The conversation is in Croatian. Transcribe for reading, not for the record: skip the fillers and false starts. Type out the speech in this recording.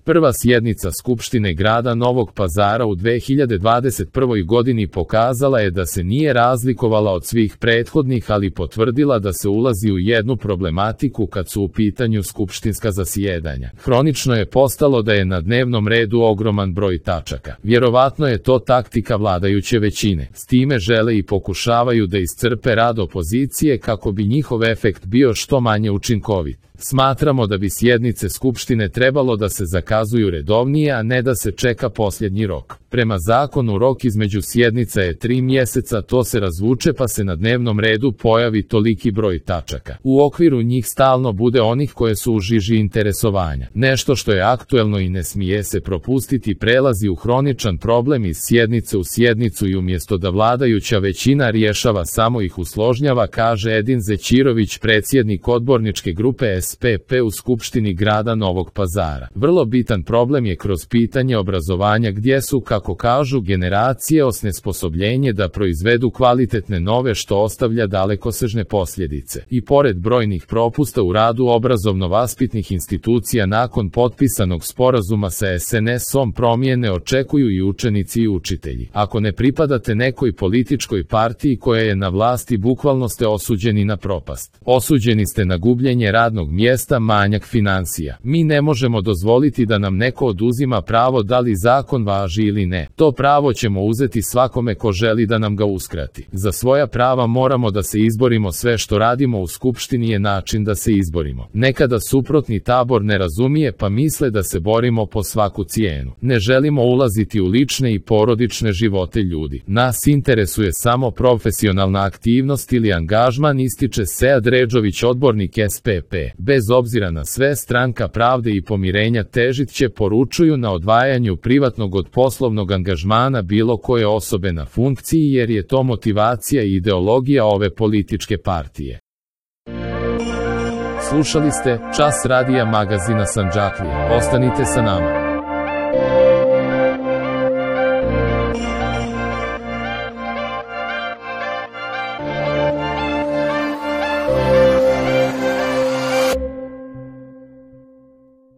Prva sjednica Skupštine grada Novog Pazara u 2021. godini pokazala je da se nije razlikovala od svih prethodnih, ali potvrdila da se ulazi u jednu problematiku kad su u pitanju skupštinska zasjedanja. Hronično je postalo da je na dnevnom redu ogroman broj tačaka. Vjerovatno je to taktika vladajuće većine. S time žele i pokušavaju da iscrpe rad opozicije kako bi njihov efekt bio što manje učinkovit. Smatramo da bi sjednice Skupštine trebalo da se zakazuju redovnije, a ne da se čeka posljednji rok. Prema zakonu rok između sjednica je 3 mjeseca, to se razvuče pa se na dnevnom redu pojavi toliki broj tačaka. U okviru njih stalno bude onih koje su u žiži interesovanja. Nešto što je aktuelno i ne smije se propustiti prelazi u hroničan problem iz sjednice u sjednicu i umjesto da vladajuća većina rješava samo ih usložnjava, kaže Edin Zećirović, predsjednik odborničke grupe SPP u Skupštini grada Novog Pazara. Vrlo bitan problem je kroz pitanje obrazovanja gdje su, kako kažu, generacije osnesposobljenje da proizvedu kvalitetne nove, što ostavlja dalekosežne posljedice. I pored brojnih propusta u radu obrazovno-vaspitnih institucija nakon potpisanog sporazuma sa SNS-om, promjene očekuju i učenici i učitelji. Ako ne pripadate nekoj političkoj partiji koja je na vlasti, bukvalno ste osuđeni na propast. Osuđeni ste na gubljenje radnog mjesta, manjak financija. Mi ne možemo dozvoliti da nam neko oduzima pravo, da li zakon važi ili ne. To pravo ćemo uzeti svakome ko želi da nam ga uskrati. Za svoja prava moramo da se izborimo, sve što radimo u Skupštini je način da se izborimo. Nekada suprotni tabor ne razumije pa misle da se borimo po svaku cijenu. Ne želimo ulaziti u lične i porodične živote ljudi. Nas interesuje samo profesionalna aktivnost ili angažman, ističe Sead Redžović, odbornik SPP. Bez obzira na sve, Stranka pravde i pomirenja težit će, poručuju, na odvajanju privatnog od poslovnog angažmana bilo koje osobe na funkciji, jer je to motivacija i ideologija ove političke partije. Slušali ste Čas radija magazina Sandžaklija. Ostanite sa nama.